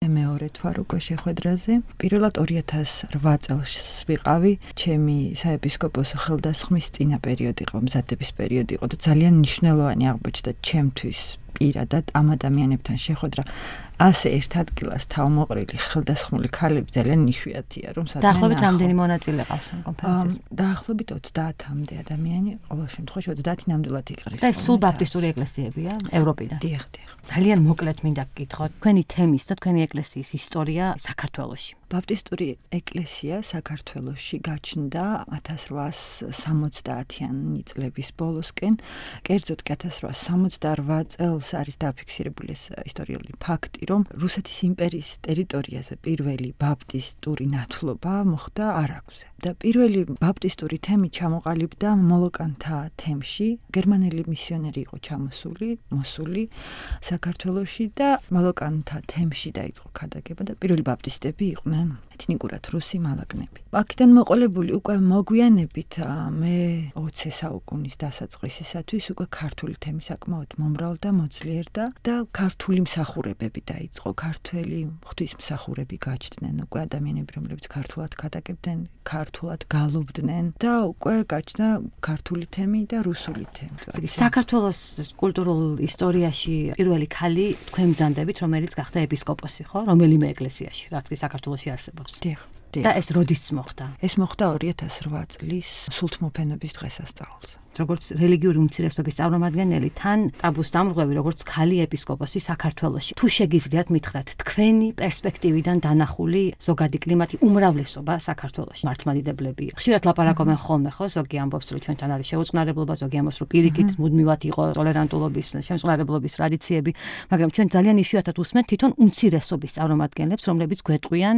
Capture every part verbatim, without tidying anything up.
მეორე თვარ უკვე შეხვედრაზე. პირველად ორი ათას რვა წელს ვიყავი, ჩემი საეპისკოპოსო ხელდასხმის წინა პერიოდი იყო, მზადების პერიოდი იყო და ძალიან მნიშვნელოვანი აღმოჩნდა ჩემთვის პირადად ამ ადამიანებთან შეხვედრა. ასე ერთ ადგილას თავმოყრილი ხელდასხმული ქალები ძალიან იშვიათია, რომ სადღაც დაახლოებით რამდენი მონაწილე ყავს ამ კონფერენციაში? დაახლოებით ოცდაათამდე ადამიანი, ყოველ შემთხვევაში ოცდაათი ნამდვილად იყრის. და სულ ბაპტისტური ეკლესიებია ევროპიდან. დიახ, დიახ. ძალიან მოკლედ მინდა გკითხოთ, თქვენი თემის და თქვენი ეკლესიის ისტორია საქართველოში. ბაპტისტური ეკლესია საქართველოში გაჩნდა ათას რვაასი სამოცდაათიანი წლების ბოლოსკენ, კერძოდ კი ათას რვაასი სამოცდარვა წელს არის დაფიქსირებული ეს ისტორიული ფაქტი, რომ რუსეთის იმპერიის ტერიტორიაზე პირველი ბაპტისტური ნათლობა მოხდა არაგვზე. და პირველი ბაპტისტური თემი ჩამოყალიბდა მოლოკანთა თემში, გერმანელი მისიონერი იყო ჩამოსული, მოსული საქართველოში და მოლოკანთა თემში დაიწყო ქადაგება და პირველი ბაპტისტები იყვნენ ეთნიკურად რუსი მალაგნები. აქედან მოყოლებული უკვე მოგვიანებით მე ოცე საუკუნის დასაწყისისათვის უკვე ქართული თემი საკმაოდ მომრავლდა, მოძლიერდა და ქართული მსახურებები დაიწყო. ქართველი ღვთისმსახურები გაჩნდნენ, უკვე ადამიანები, რომლებიც ქართულად ქადაგებდნენ, ქართულად გალობდნენ და უკვე გაჩნდა ქართული თემი და რუსული თემი. საქართველოს კულტურულ ისტორიაში პირველი ქალი თქვენ ბრძანდებით, რომელიც გახდა ეპისკოპოსი, ხო? რომელიმე ეკლესიაში, რაც კი საქართველოში არსებობს. დიახ. და ეს როდის მოხდა? ეს მოხდა ორი ათას რვა წლის სულთმოფენობის დღესასწაულზე. როგორც რელიგიური უმცირესობის წარმომადგენელი, თან ტაბუს დამრღვევი, როგორც ქალი ეპისკოპოსი საქართველოში. თუ შეგიძლიათ მითხრათ, თქვენი პერსპექტივიდან დანახული ზოგადი კლიმატი, უმრავლესობა საქართველოში მართლმადიდებლები. ხშირად ლაპარაკობენ ხოლმე, ხო, ზოგი ამბობს, რომ ჩვენთან არის შეუწყნარებლობა, ზოგი ამბობს, რომ პირიქით მუდმივად იყო ტოლერანტულობის, შემწყნარებლობის ტრადიციები, მაგრამ ჩვენ ძალიან იშვიათად უსმენთ თვითონ უმცირესობის წარმომადგენლებს, რომლებიც გვეტყვიან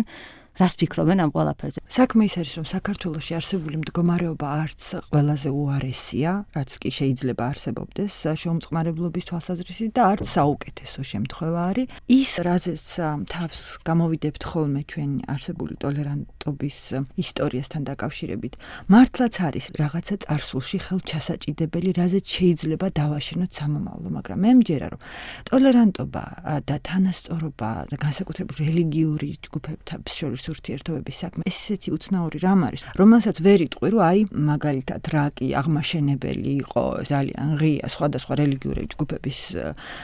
რას ფიქრობენ ამ ყველაფერზე? საქმე ის არის, რომ საქართველოში არსებული მდგომარეობა არც ყველაზე უარესია, რაც კი შეიძლება არსებობდეს შეუმწყნარებლობის თვალსაზრისით და არც საუკეთესო შემთხვევა არის. ის, რაზეც თავს გამოვიდებთ ხოლმე ჩვენი არსებული ტოლერანტობის ისტორიასთან დაკავშირებით, მართლაც არის რაღაცა წარსულში ხელჩასაჭიდებელი, რაზეც შეიძლება დავაშენოთ სამომავლო, მაგრამ მე მჯერა, რომ ტოლერანტობა და თანასწორობა და განსაკუთრებით რელიგიური ჯგუფებთან შორის ურთიერთობების საქმე ეს ისეთი უცნაური რამ არის, რომელსაც ვერ იტყვი, რომ აი მაგალითად რა კი აღმაშენებელი იყო ძალიან ღია სხვადასხვა რელიგიური ჯგუფების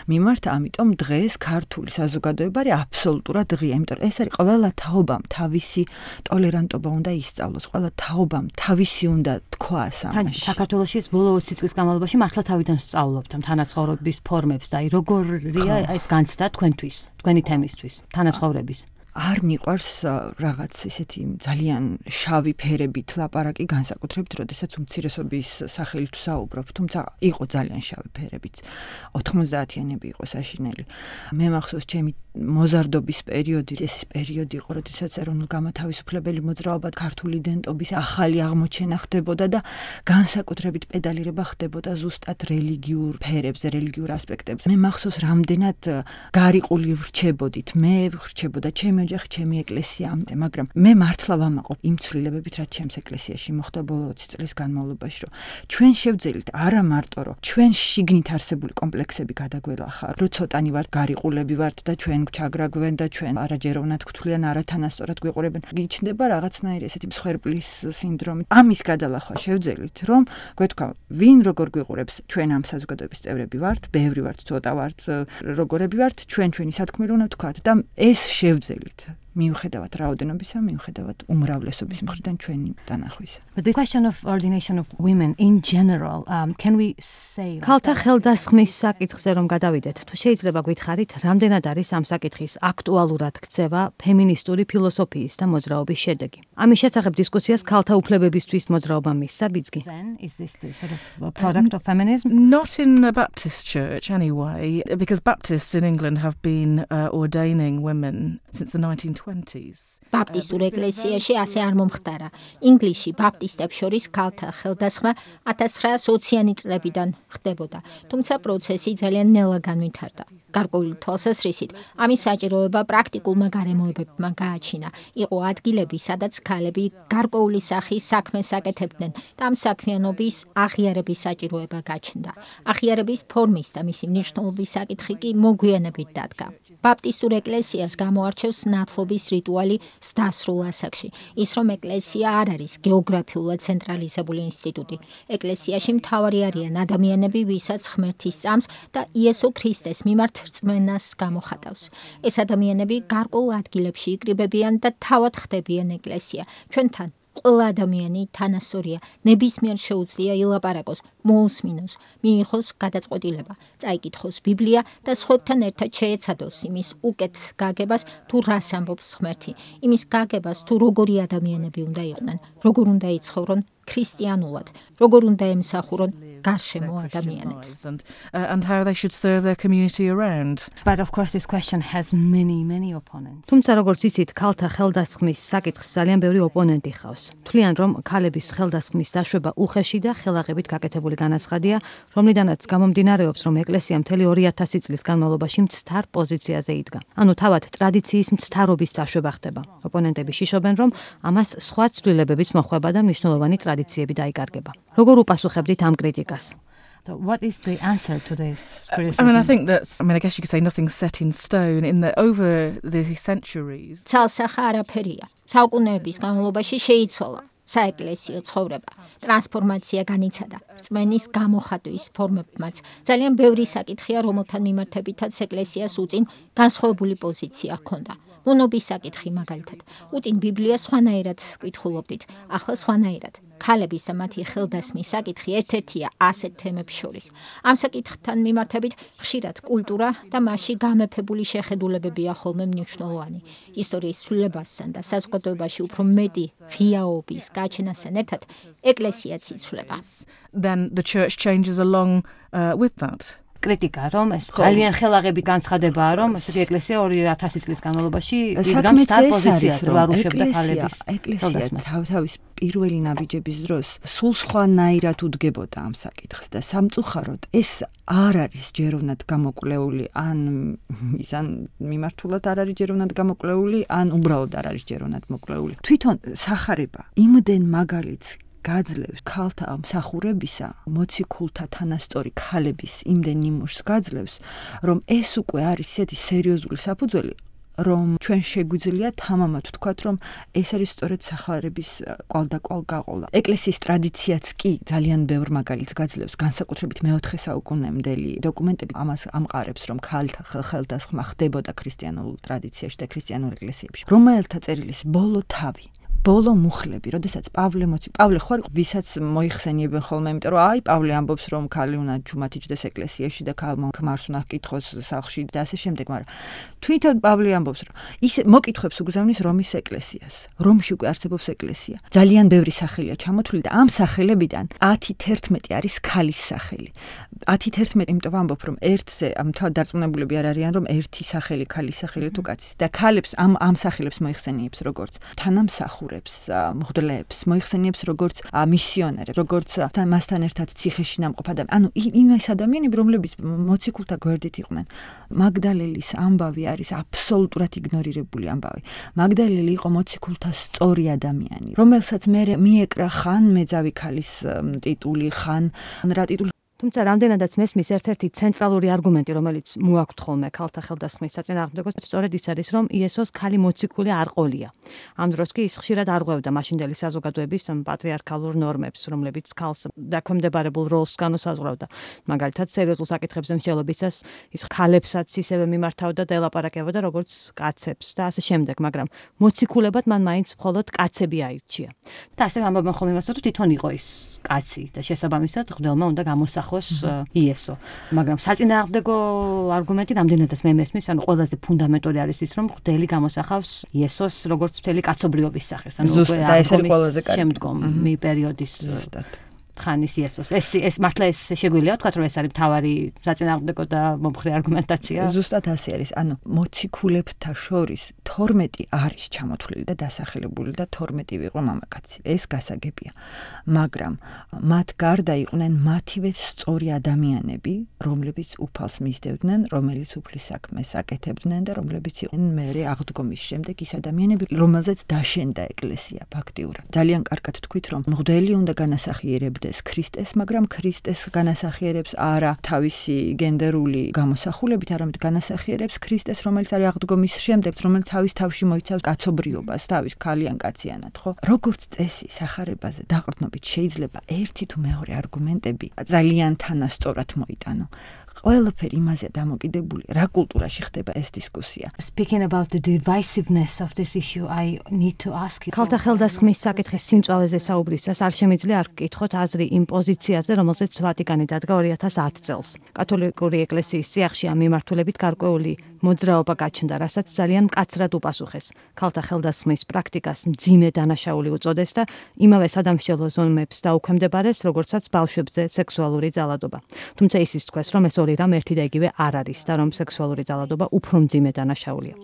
მიმართ, ამიტომ დღეს ქართული საზოგადოება არის აბსოლუტურად ღია, იმიტომ რომ ეს არის ყველა თაობამ თავისი ტოლერანტობა უნდა ისწავლოს, ყველა თაობამ თავისი უნდა თქვას ამაში. საქართველოში ეს ბოლო ოცი წლის განმავლობაში მართლა თავიდან სწავლობთ ამ თანაცხოვრების ფორმებს და აი როგორია ეს განცდა თქვენთვის, თქვენი თემისთვის, თანაცხოვრების. არ მიყვარს რაღაც ისეთი ძალიან შავი ფერებით ლაპარაკი, განსაკუთრებით, როდესაც უმცირესობის სახელით ვსაუბრობ, თუმცა იყო ძალიან შავი ფერებით. ოთხმოცდაათიანები იყო საშინელი. მე მახსოვს ჩემი მოზარდობის პერიოდი, ეს პერიოდი იყო, როდესაც ეროვნულ-გამათავისუფლებელი მოძრაობა ქართული იდენტობის ახალი აღმოჩენა ხდებოდა და განსაკუთრებით პედალირება ხდებოდა ზუსტად რელიგიურ ფერებზე, რელიგიურ ასპექტებზე. მე მახსოვს რამდენად გარიყული ვრჩებოდით, მე ვრჩებოდა ჩემი ოჯახი, ჩემი ეკლესია, მაგრამ მე მართლა ვამაყობ იმ ცვლილებებით, რაც ჩემს ეკლესიაში მოხდა ბოლო ოცი წლის განმავლობაში, რომ ჩვენ შევძელით არა მარტო, რომ ჩვენ შიგნით არსებული კომპლექსები გადაგველახა, რომ ცოტანი ვართ გარიყულები ვართ და ჩვენ გვჩაგრაგვენ და ჩვენ არაჯეროვნად გვთვლიან, არათანასწორად გვიყურებენ. გიჩნდება რაღაცნაირი ესეთი მსხვერპლის სინდრომი. ამის გადალახვა შევძელით, რომ გვეთქვა, ვინ როგორ გვიყურებს, ჩვენ ამ საზოგადოების წევრები ვართ, ბევრი ვართ, ცოტა ვართ, როგორები ვართ, ჩვენ ჩვენი სათქმელი უნდა ვთქვათ და ეს შევძელით. მიუხედავად რაოდენობისა, მიუხედავად უმრავლესობის მხრიდან ჩვენი დანახვისა. But the question of ordination of women in general, um, can we say ქალთა ხელდასხმის საკითხზე რომ გადავიდეთ, თუ შეიძლება გითხარით, რამდენად არის ამ საკითხის აქტუალურად ქცევა ფემინისტური ფილოსოფიის და მოძრაობის შედეგი? ამის შესახებ დისკუსიას ქალთა უფლებებისთვის მოძრაობა მისცა ბიძგი. then is this the sort of a product of feminism? Not in the Baptist church anyway, because Baptists in England have been uh, ordaining women since the nineteen twenties. ბაპტისტურ ეკლესიაში ასე არ მომხდარა. ინგლისში ბაპტისტებს შორის ქალთა ხელდასხმა ათას ცხრაასი ოციანი წლებიდან ხდებოდა, თუმცა პროცესი ძალიან ნელა განვითარდა. გარკვეული თვალსაზრისით, ამის საჭიროება პრაქტიკულმა გარემოებებმა გააჩინა. იყო ადგილები, სადაც ქალები გარკვეული სახის საქმეს აკეთებდნენ და ამ საქმიანობის აღიარების საჭიროება გაჩნდა. აღიარების ფორმის და მისი მნიშვნელობის საკითხი კი მოგვიანებით დადგა. ბაპტისტურ ეკლესიას გამოარჩევს ნათლობის რიტუალი დასრულ ასაკში. ის რომ ეკლესია არ არის გეოგრაფიულად ცენტრალიზებული ინსტიტუტი. ეკლესიაში მთავარი არიან ადამიანები, ვისაც ღმერთი სწამს და იესო ქრისტეს მიმართ რწმენას გამოხატავს. ეს ადამიანები გარკვეულ ადგილებში იკრიბებიან და თავად ხდებიან ეკლესია. ჩვენთან ყველა ადამიანი თანასწორია, ნებისმიერ შეუძლია ილაპარაკოს, მოусმინოს, მიიღოს გადაწყვეტილება, წაიკითხოს ბიბლია და სხვებთან ერთად შეეცადოს იმის უკეთ გაგებას, თუ რას ამბობს ღმერთი, იმის გაგებას, თუ როგორი ადამიანები უნდა იყვნენ, როგორ უნდა იცხოვრონ ქრისტიანულად, როგორ უნდა ემსახურონ გარშემო ადამიანებს. And, uh, and how they should serve their community around. But of course this question has many many opponents. თუმცა როგორც იცით, ქალთა ხელდასხმის საკითხს ძალიან ბევრი ოპონენტი ხავს. თვლიან, რომ ქალების ხელდასხმის დაშვება უხეში და ხელაღებით გაკეთებული განაცხადია, რომლიდანაც გამომდინარეობს, რომ ეკლესია მთელი ორი ათასი წლის განმავლობაში მცდარ პოზიციაზე იდგა. ანუ თავად ტრადიციის მცდარობის დაშვება ხდება. ოპონენტები შიშობენ, რომ ამას სხვა ცვლილებებიც მოხვება და მნიშვნელოვანი ტრადიციები დაიკარგება. როგორ უპასუხებდით ამ კრიტიკას? So what is the answer to this criticism? I mean, I think that's, I mean, I guess you could say nothing's set in stone in that over the centuries. ცალსახა არაფერია. საუკუნეების განმავლობაში შეიცვალა საეკლესიო ცხოვრება. ტრანსფორმაცია განიცადა. რწმენის გამოხატვის ფორმებმაც ძალიან ბევრი საკითხია, რომელთან მიმართებითაც ეკლესიას უწინ განსხვავებული პოზიცია ჰქონდა. მონობის საკითხი მაგალითად. უწინ ბიბლიას სხვანაირად ვკითხულობდით, ახლა სხვანაირად. ქალების და მათი ხელდასმის საკითხი ერთ-ერთია ასეთ თემებს შორის. ამ საკითხთან მიმართებით ხშირად კულტურა და მასში გამეფებული შეხედულებებია ხოლმე მნიშვნელოვანი. ისტორიის ცვლილებასთან და საზოგადოებაში უფრო მეტი ღიაობის გაჩენასთან ერთად ეკლესიაც იცვლება. Then the church changes along uh, with that. კრიტიკა, რომ ეს ძალიან ხელაღები განცხადებაა, რომ ესეთი ეკლესია ორი ათასი წლის განმავლობაში იდგა მცდარ პოზიციაზე, რომ არ უშვებდა ქალების ეკლესია თავთავის პირველი ნაბიჯების დროს სულ სხვანაირად უდგებოდა ამ საკითხს და სამწუხაროდ ეს არ არის ჯეროვნად გამოკვლეული, ან ის ან მიმართულად არ არის ჯეროვნად გამოკვლეული, ან უბრალოდ არ არის ჯეროვნად მოკვლეული. თვითონ სახარება იმდენ მაგალითს გაძლევს ქალთა მსახურებისა, მოციქულთა თანასწორი ქალების იმდენ ნიმუშს გაძლევს, რომ ეს უკვე არის ისეთი სერიოზული საფუძველი, რომ ჩვენ შეგვიძლია თამამად ვთქვათ, რომ ეს არის სწორედ სახარების კვალდაკვალ გაყოლა. ეკლესიის ტრადიციაც კი ძალიან ბევრ მაგალითს გაძლევს, განსაკუთრებით მეოთხე საუკუნემდელი დოკუმენტები ამას ამყარებს, რომ ქალთა ხელდასხმა ხდებოდა ქრისტიანულ ტრადიციაში და ქრისტიანულ ეკლესიებში. რომელთა წერილის ბოლო თავი ბოლო მუხლები, როდესაც პავლე მოცი, პავლე ხო არის, ვისაც მოიხსენიებენ ხოლმე, იმიტომ რომ აი პავლე ამბობს, რომ ქალი უნდა ჩუმათიჯდეს ეკლესიაში და ქალმა ქმარს უნდა ჰკითხოს სახლში და ასე შემდეგ, მაგრამ თვითონ პავლე ამბობს, რომ ის მოკითხვებს უგზავნის რომის ეკლესიას. რომში უკვე არსებობს ეკლესია. ძალიან ბევრი სახელია ჩამოთვლილი და ამ სახელებიდან ათი თერთმეტი არის ქალის სახელი. ათი თერთმეტი, იმიტომ ვამბობ, რომ ერთზე მთლად დარწმუნებულები არ არიან, რომ ერთი სახელი ქალის სახელი თუ კაცის და ქალებს ამ ამ სახელებს მოიხსენიებს როგორც თანამსახურე მღვდლებს, მოიხსენიებს როგორც მისიონერებს, როგორც მასთან ერთად ციხეში ნამყოფ ადამიანებს. ანუ იმის ადამიანები, რომლებიც მოციქულთა გვერდით იყვნენ. მაგდალელის ამბავი არის აბსოლუტურად იგნორირებული ამბავი. მაგდალელი იყო მოციქულთა სწორი ადამიანი, რომელსაც მე მიეკრა ხან მეძავი ქალის ტიტული, ხან რა ტიტული. თუმცა რამდენადაც მესმის ერთ-ერთი ცენტრალური არგუმენტი, რომელიც მოაქვთ ხოლმე ქალთა ხელდასხმის საწინააღმდეგო, სწორედ ის არის, რომ იესოს ქალი მოციქული არ ყოლია. ამ დროს კი ის ხშირად არღვევდა მაშინდელი საზოგადოების პატრიარქალურ ნორმებს, რომლებიც ქალს დაქვემდებარებულ როლს განუსაზღვრავდა. მაგალითად, სერიოზულ საკითხებზე მსჯელობისას ის ქალებსაც ისევე მიმართავდა და ელაპარაკებოდა როგორც კაცებს და ასე შემდეგ, მაგრამ მოციქულებად მან მაინც მხოლოდ კაცები აირჩია. და ასე ამბობენ ხოლმე იმას, რომ თვითონ იყო ის კაცი და შესაბამისად მღვდელმა უნდა გამოსახოს იესო. მაგრამ საწინააღმდეგო არგუმენტი რამდენადაც მე მესმის, ანუ ყველაზე ფუნდამენტური არის ის, რომ მღვდელი გამოსახავს იესოს როგორც მთელი კაცობრიობის სახეს, ანუ უკვე ეს არის ყველაზე კარგი შემდგომი პერიოდის ხანის იესოს. ეს ეს მართლა ეს შეგვიძლია ვთქვათ, რომ ეს არის მთავარი საწინააღმდეგო და მომხრე არგუმენტაცია. ზუსტად ასე არის. ანუ მოციქულებთა შორის თორმეტი არის ჩამოთვლილი და დასახელებული და თორმეტი ვიყო მამაკაცი. ეს გასაგებია. მაგრამ მათ გარდა იყვნენ მათივე სწორი ადამიანები, რომლებიც უფალს მისდევდნენ, რომელიც უფლის საქმეს აკეთებდნენ და რომლებიც იყვნენ მერე აღდგომის შემდეგ ის ადამიანები, რომელზეც დაშენდა ეკლესია ფაქტიურად. ძალიან კარგად თქვით, რომ მღვდელი უნდა განასახიერებდეს ქრისტეს, მაგრამ ქრისტეს განასახიერებს არა თავისი გენდერული გამოსახულებით, არამედ განასახიერებს ქრისტეს, რომელიც არის აღდგომის შემდეგ, რომელიც თავის თავში მოიცავს კაცობრიობას, თავის ქალიან კაციანად, ხო? როგორც წესი სახარებაზე დაყრდნობით შეიძლება ერთი თუ მეორე არგუმენტები ძალიან თანასწორად მოიტანო. ყველაფერი იმაზეა დამოკიდებული, რა კულტურაში ხდება ეს დისკუსია. Speaking about the divisiveness of this issue, I need to ask you. ქალთა ხელდასხმის საკითხის სიმწვავეზე საუბრისას არ შემიძლია არ გკითხოთ აზრი იმ პოზიციაზე, რომელზეც ვატიკანი დადგა ორი ათას ათი წელს. კათოლიკური ეკლესიის წიაღში ამ მიმართულებით გარკვეული მოძრაობა გაჩნდა, რასაც ძალიან მკაცრად უპასუხეს. ქალთა ხელდასხმის პრაქტიკას მძიმე დანაშაული უწოდეს და იმავე სადამსჯელო ზომებს დაუქვემდებარეს, როგორცაც ბავშვებზე სექსუალური ძალადობა. თუმცა ისიც თქვეს, რომ ეს ორი რამ ერთი და იგივე არ არის და რომ სექსუალური ძალადობა უფრო მძიმე დანაშაულია.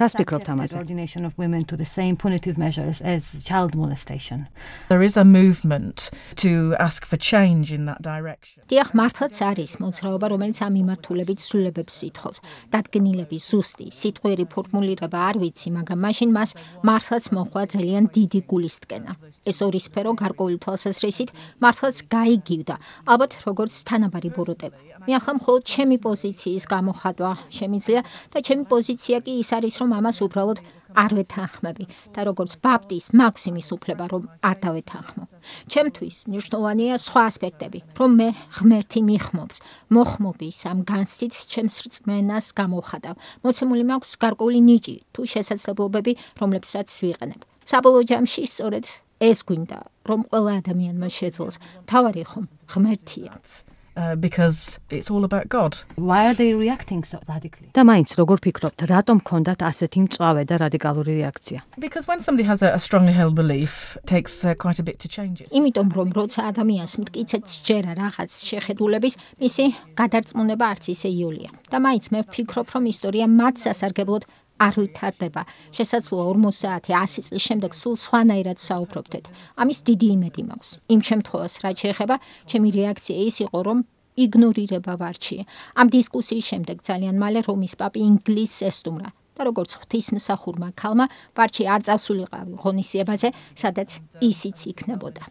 რას ფიქრობთ ამაზე? Subordination of women to the same punitive measures as child molestation. There is a movement to ask for change in that direction. დიახ, მართლაც არის მოძრაობა, რომელიც ამ მიმართულებით ცვლილებებს ითხოვს. დადგენილების ზუსტი სიტყვიერი ფორმულირება არ ვიცი, მაგრამ მაშინ მას მართლაც მოხდა ძალიან დიდი გულისტკენა. ეს ორი სფერო გარკვეული თვალსაზრისით მართლაც გაიგივდა, ალბათ როგორც თანაბარი ბოროტება. მე ახლა მხოლოდ ჩემი პოზიციის გამოხატვა შემიძლია და ჩემი პოზიცია კი ის არის, რომ ამას უბრალოდ არ ვეთანხმები და როგორც ბაპტის მაქვს იმის უფლება, რომ არ დავეთანხმო. ჩემთვის მნიშვნელოვანია სხვა ასპექტები, რომ მე ღმერთი მიხმობს, მოხმობის ამ განცდით ჩემს რწმენას გამოვხატავ. მოცემული მაქვს გარკვეული ნიჭი თუ შესაძლებლობები, რომლებსაც ვიყენებ. საბოლოო ჯამში სწორედ ეს გვინდა, რომ ყველა ადამიანმა შეძლოს. თავარი ხომ ღმერთია. Uh, because it's all about God. Why are they reacting so radically? და მაინც როგორ ფიქრობთ, რატომ ქონდათ ასეთი მწვავე და რადიკალური რეაქცია? Because when somebody has a, a strongly held belief, it takes uh, quite a bit to change it. იმიტომ რომ როცა ადამიანს მტკიცედ სჯერა რაღაც შეხედულების, მისი გადარწმუნება არც ისე იოლია. და მაინც მე ვფიქრობ, რომ ისტორია მათ სასარგებლოდ არ ვითარდება. შესაძლოა ორმოცდაათი ასი წლის შემდეგ სულ სხვანაირად საუბრობდეთ. ამის დიდი იმედი მაქვს. იმ შემთხვევას, რაც შეეხება, ჩემი რეაქცია ის იყო, რომ იგნორირება ვარჩიე. ამ დისკუსიის შემდეგ ძალიან მალე რომის პაპი ინგლისს ესტუმრა. და როგორც ღვთისმსახურმა ქალმა, ვარჩი არ წავსულიყავი ღონისძიებაზე, სადაც ისიც იქნებოდა.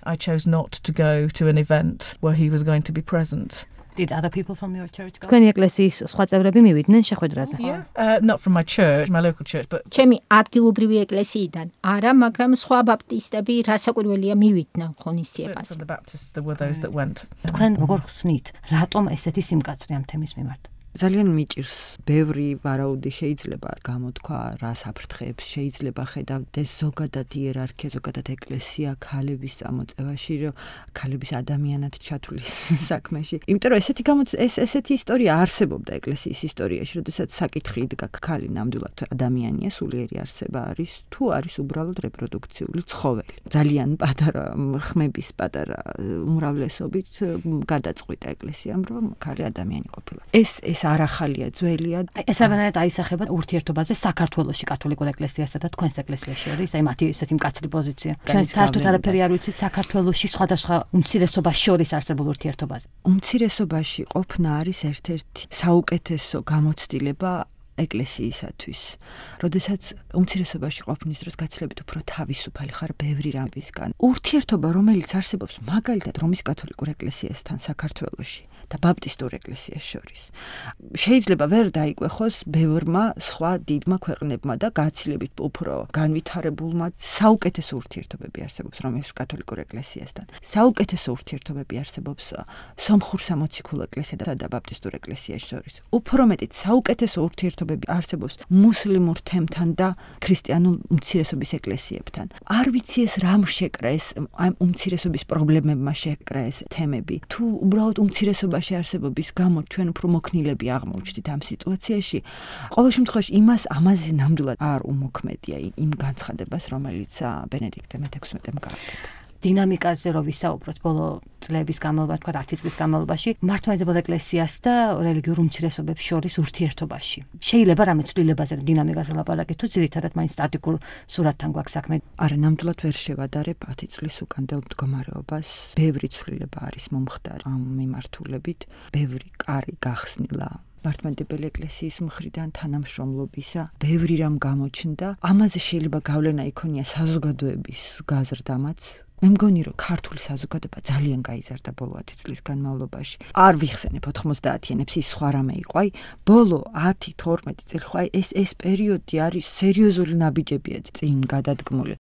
I chose not to go to an event where he was going to be present. Did other people from your church go? თქვენი ეკლესიის სხვა წევრები მივიდნენ შეხვედრაზე? Yeah, uh, not from my church, my local church, but ჩემი ადგილობრივი ეკლესიიდან არა, მაგრამ სხვა ბაპტისტები რასაკვირველია მივიდნენ ღონისძიებას. from the Baptists there were those that went. თქვენ როგორ ხსნით, რატომ ესეთი სიმკაცრე ამ თემის მიმართ? ძალიან მიჭირს, ბევრი ვარაუდი შეიძლება გამოთქვა, რა საფრთხეებს შეიძლება ხედავდეს ზოგადად იერარქია, ზოგადად ეკლესია ქალების წამოწევაში, რომ ქალების ადამიანად ჩათვლის საქმეში. იმიტომ რომ ესეთი გამოც ეს ესეთი ისტორია არსებობდა ეკლესიის ისტორიაში, როდესაც საკითხი იდგა, ქალი ნამდვილად ადამიანია, სულიერი არსება არის, თუ არის უბრალოდ რეპროდუქციული ცხოველი. ძალიან პატარა ხმების პატარა უმრავლესობით გადაწყვიტა ეკლესიამ, რომ ქალი ადამიანი ყოფილა. ეს ეს არ ახალია, ძველია. ეს რაბანად აისახება ურთიერთობაზე საქართველოში კათოლიკურ ეკლესიასა და თქვენს ეკლესიაში არის, აი მათი ესეთი მკაცრი პოზიცია. ჩვენ საერთოდ არაფერი არ ვიცით საქართველოში სხვადასხვა უმცირესობას შორის არსებულ ურთიერთობაზე. უმცირესობაში ყოფნა არის ერთ-ერთი საუკეთესო გამოცდილება ეკლესიისათვის. როდესაც უმცირესობაში ყოფნის დროს გაცილებით უფრო თავისუფალი ხარ ბევრი რამისგან. ურთიერთობა, რომელიც არსებობს მაგალითად რომის კათოლიკურ ეკლესიასთან საქართველოში და ბაპტისტურ ეკლესიას შორის. შეიძლება ვერ დაიკვეხოს ბევრმა სხვა დიდმა ქვეყნებმა და გაცილებით უფრო განვითარებულმა საუკეთესო ურთიერთობები არსებობს რომის კათოლიკურ ეკლესიასთან. საუკეთესო ურთიერთობები არსებობს სომხურ სამოციქულო ეკლესიასა და ბაპტისტურ ეკლესიას შორის. უფრო მეტიც საუკეთესო ურთიერთობები არსებობს მუსლიმურ თემთან და ქრისტიანულ უმცირესობის ეკლესიებთან. არ ვიცი ეს რამ შეკრა ეს ამ უმცირესობის პრობლემებმა შეკრა ეს თემები. თუ უბრალოდ უმცირესობაში არსებობის გამო ჩვენ უფრო მოქნილები აღმოჩნდით ამ სიტუაციაში, ყოველ შემთხვევაში იმას ამაზე ნამდვილად არ უმოქმედია იმ განცხადებას, რომელიც ბენედიქტე მეთექვსმეტემ გააკეთა. დინამიკაზე რო ვისაუბროთ ბოლო წლების განმავლობაში, თქვა ათი წლის განმავლობაში, მართლმადიდებელ ეკლესიას და რელიგიურ უმცირესობებს შორის ურთიერთობაში. შეიძლება რამე ცვლილებაზე დინამიკაზე ლაპარაკი, თუ ძირითადად მაინც სტატიკურ სურათთან გვაქვს საქმე. არა, ნამდვილად ვერ შევადარებ ათი წლის უკანდელ მდგომარეობას. ბევრი ცვლილება არის მომხდარი ამ მიმართულებით, ბევრი კარი გახსნილა მართლმადიდებელი ეკლესიის მხრიდან თანამშრომლობისა, ბევრი რამ გამოჩნდა. ამაზე შეიძლება გავლენა იქონია საზოგადოების გაზრდამაც. მე მგონი რომ ქართული საზოგადოება ძალიან გაიზარდა ბოლო ათი წლის განმავლობაში. არ ვიხსენებ ოთხმოცდაათიანებს, ის სხვა რამე იყო. აი, ბოლო ათი თორმეტი წელი ხო აი ეს ეს პერიოდი არის სერიოზული ნაბიჯებია წინ გადადგმული.